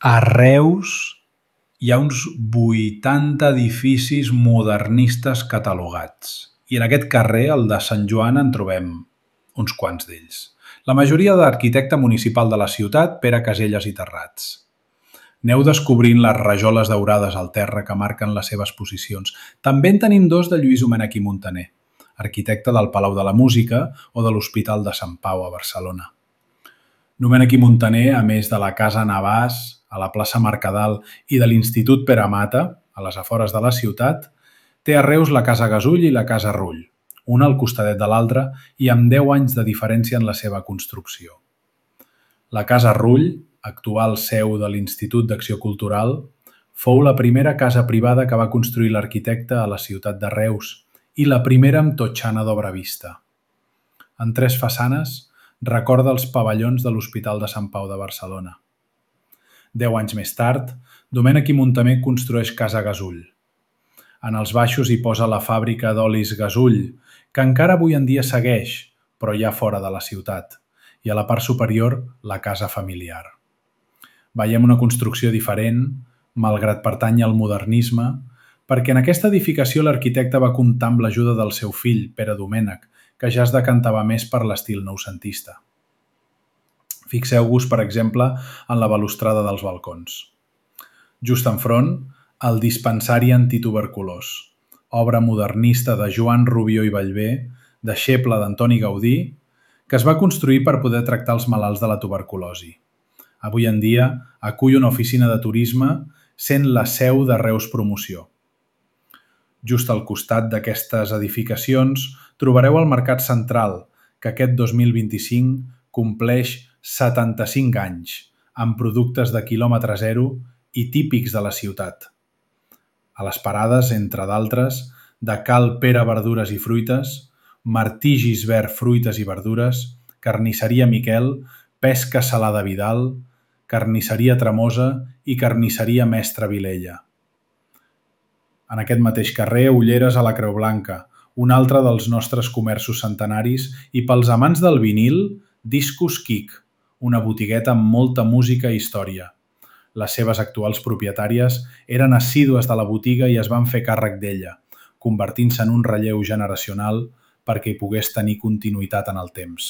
A Reus hi ha uns 80 edificis modernistes catalogats i en aquest carrer, el de Sant Joan, en trobem uns quants d'ells. La majoria d'arquitecte municipal de la ciutat, Pere Caselles i Terrats. Aneu descobrint les rajoles daurades al terra que marquen les seves posicions. També en tenim dos de Lluís Domènech i Muntaner, arquitecte del Palau de la Música o de l'Hospital de Sant Pau a Barcelona. Domènech i Muntaner, a més de la Casa Navàs, a la plaça Mercadal i de l'Institut Pere Mata, a les afores de la ciutat, té a Reus la Casa Gasull i la Casa Rull, una al costadet de l'altra i amb 10 anys de diferència en la seva construcció. La Casa Rull, actual seu de l'Institut d'Acció Cultural, fou la primera casa privada que va construir l'arquitecte a la ciutat de Reus i la primera amb totxana d'obra vista. En 3 façanes recorda els pavellons de l'Hospital de Sant Pau de Barcelona. 10 anys més tard, Domènech i Muntaner construeix Casa Gasull. En els baixos hi posa la fàbrica d'olis Gasull, que encara avui en dia segueix, però ja fora de la ciutat, i a la part superior la casa familiar. Veiem una construcció diferent, malgrat pertany al modernisme, perquè en aquesta edificació l'arquitecte va comptar amb l'ajuda del seu fill, Pere Domènech, que ja es decantava més per l'estil noucentista. Fixeu-vos, per exemple, en la balustrada dels balcons. Just enfront, el dispensari antituberculós, obra modernista de Joan Rubió i Ballbé, deixeble d'Antoni Gaudí, que es va construir per poder tractar els malalts de la tuberculosi. Avui en dia acull una oficina de turisme, sent la seu de Reus Promoció. Just al costat d'aquestes edificacions trobareu el Mercat Central, que aquest 2025 compleix 75 anys, amb productes de quilòmetre zero i típics de la ciutat. A les parades, entre d'altres, de Cal Pere Verdures i Fruites, Martí Gisbert Fruites i Verdures, Carnisseria Miquel, Pesca Salada Vidal, Carnisseria Tremosa i Carnisseria Mestre Vilella. En aquest mateix carrer, ulleres a la Creu Blanca, un altre dels nostres comerços centenaris, i pels amants del vinil, Discos Quic, una botigueta amb molta música i història. Les seves actuals propietàries eren assídues de la botiga i es van fer càrrec d'ella, convertint-se en un relleu generacional perquè hi pogués tenir continuïtat en el temps.